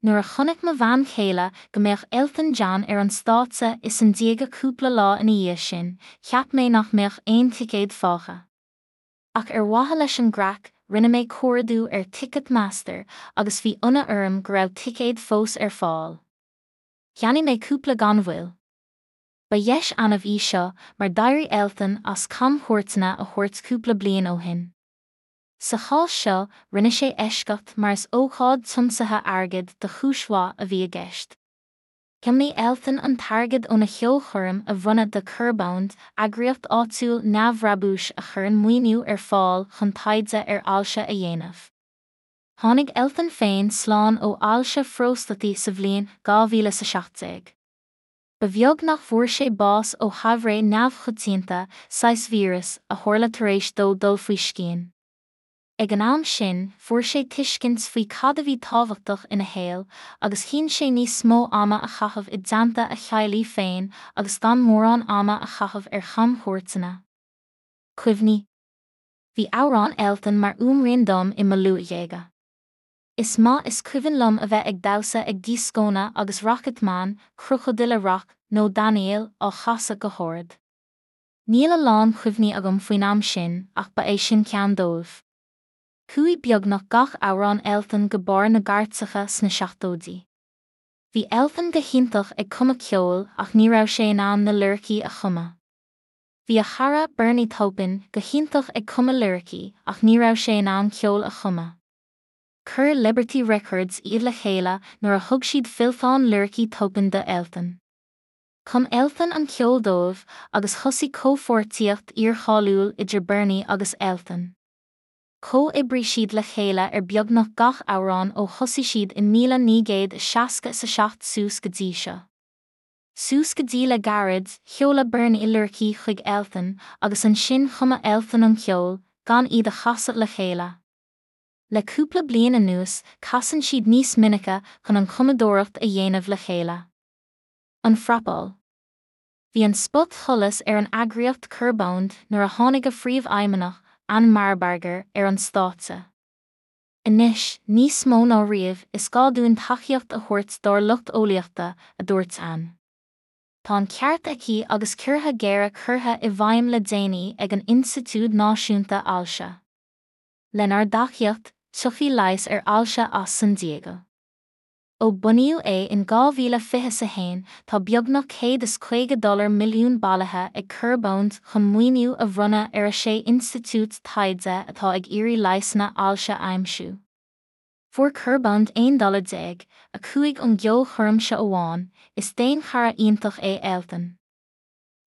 Nuair a chonaic mo bhean chéile go mbeadh Elton John ar an stáitse i San Diego cúpla lá ina dhiaidh sin, cheap mé nach mbeadh aon ticéad fágtha. Ach ar mhaithe leis an gcraic, rinne mé cuardú ar Ticketmaster agus bhí ionadh orm go raibh ticéid fós ar fáil. Cheannaigh mé cúpla gan mhoill. Ba dheis annamh í seo mar d'éirigh Elton as camchuairteanna a thabhairt cúpla bliain ó shin. Sa chás seo, rinne sé eisceacht mar is ócáid tiomsaithe airgid do chúis mhaith a bhí i gceist. Thiomnaigh Elton an t-airgead óna cheolchoirm a bhronnadh do Curebound, eagraíocht áitiúil neamhbhrabúis a chuireann maoiniú ar fáil chun taighde ar ailse a dhéanamh. Tháinig Elton féin slán ó ailse phróstataí sa bhliain 2017. Ba bheag nach bhfuair sé bás ó thaibhréidh neamhchoitianta, saghas víreas, a tharla tar éis dó dul faoi scian. Ag an am sin, fuair sé tuiscint faoi cad a bhí tábhachtach ina shaol, agus chinn sé níos mó ama a chaitheamh i dteannta a theaghlaigh féin agus gan mórán ama a chaitheamh ar chamchuairteanna. Cuimhní. Bhí amhráin Elton mar fhuaimrian dom i mo luathdhéaga. Is maith is cuimhin liom a bheith ag damhsa ag dioscónna agus Rocket Man, Crocodile Rock nó Daniel á chasadh go hard. Níl a lán cuimhní agam faoin am sin ach ba é sin ceann dóibh. Chuaigh beagnach gach amhrán Elton go barr na gcairteacha sna seachtóidí. Bhí Elton go hiontach ag cumadh ceoil ach ní raibh sé in ann na liricí a chumadh. Bhí a chara, Bernie Taupin, go hiontach ag cumadh liricí ach ní raibh sé in ann ceol a chumadh. Chuir Liberty Records iad le chéile nuair a thug siad fillteán liricí Taupin do Elton. Chum Elton an ceol dóibh agus thosaigh comhpháirtíocht fhíorcháiliúil idir Bernie agus Elton. Chomhoibrigh siad le chéile ar beagnach gach amhrán ó thosaigh siad i 1967 suas go dtí seo. Suas go dtí le gairid, sheoladh Bernie liricí chuig Elton agus ansin chumadh Elton an ceol, gan iad a chasadh le chéile. Le cúpla bliain anuas, casann siad níos minice chun an chumadóireacht a dhéanamh le chéile. An phrapáil. Bhí an spotsholas ar an eagraíocht Curebound nuair a tháinig a phríomhfheidhmeannach, Ann Marbarger, ar an stáitse. Anois, níos mó ná riamh, is gá dúinn tacaíocht a thabhairt dár lucht eolaíochta, a dúirt Ann. Tá an ceart aici agus ciorruithe géara curtha i bhfeidhm le déanaí ag an Institiúid Náisiúnta Ailse. Lenár dtacaíocht, tiocfaidh leigheas ar ailse as San Diego. Ó bunaíodh é in 2021, tá beagnach $150 milliún bailithe ag Curebound chun maoiniú a bhronnadh ar 6 institiúid taighde atá ag iarraidh leigheasanna ailse a aimsiú. Fuair Curebound $11 5 ón gceolchoirm seo amháin, is daonchara iontach é Elton.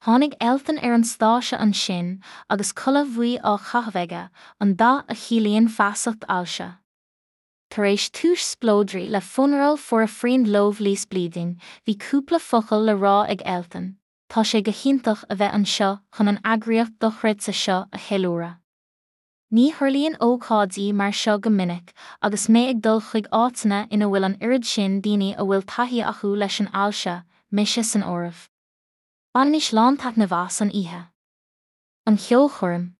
Tháinig Elton ar an stáitse ansin agus culaith bhuí á chaitheamh aige, an dath a chiallaíonn feasacht ailse. Tar éis túis spleodraigh le Funeral for a Friend Lovely's Bleeding, bhí cúpla focal le rá ag Elton, Tá sé go hiontach a bheith anseo chun an eagraíocht dochreidte seo a cheiliúradh. Ní tharlaíonn ócáidí mar seo go minic agus mé ag dul chuig áiteanna ina bhfuil an oiread sin daoine a bhfuil taithí acu leis an ailse, mise san áireamh. Bainimis lántaitneamh as an oíche. An cheolchoirm.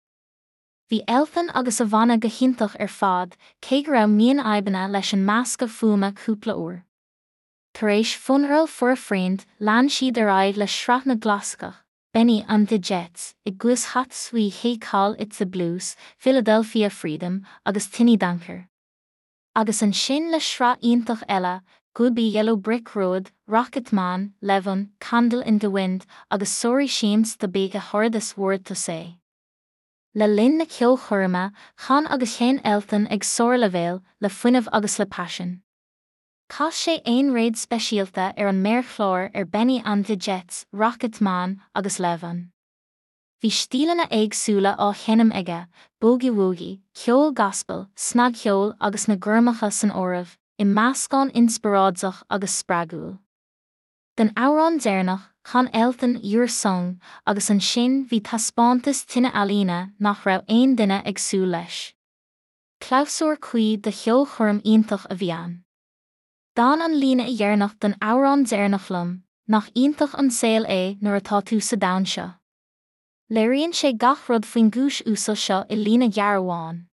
Bhí Elton agus a bhanna go hiontach ar fad, cé go raibh mionfhadhbanna leis an meascadh fuaime cúpla uair. Tar éis Funeral for a Friend, lean siad ar aghaidh le sraith na gclasaiceach, Bennie and the Jets, i gcluas Sweet They Call It the Blues, Philadelphia Freedom agus Tiny Dancer. Agus ansin le sraith iontach eile, Goodbye Yellow Brick Road, Rocket Man, Levon, Candle in the Wind agus Sorry Seems to Be the Hardest Word to Say. Le linn na ceolchoirme, chan agus sheinn Elton ag sárleibhéal, le fuinneamh agus le paisean. Chas sé aonréad speisialta ar an méarchlár ar Bennie and the Jets, Rocket Man agus Levon. Bhí stíleanna éagsúla á sheinm aige, boogie-woogie, ceol gaspal, snagcheol agus na gormacha san áireamh, i meascán inspioráideach agus spreagúil. Don amhrán deireanach, chan Elton 'Your Song' agus ansin bhí taispeántas tine ealaíne nach raibh aon duine ag súil leis. Clabhsúr cuí do cheolchoirm iontach a bhí ann. D'fhan an líne dheireanach den amhrán deireanach liom, nach iontach an saol é nuair atá tú sa domhan seo. Léiríonn sé gach rud faoin gcúis uasal seo i líne ghearr amháin.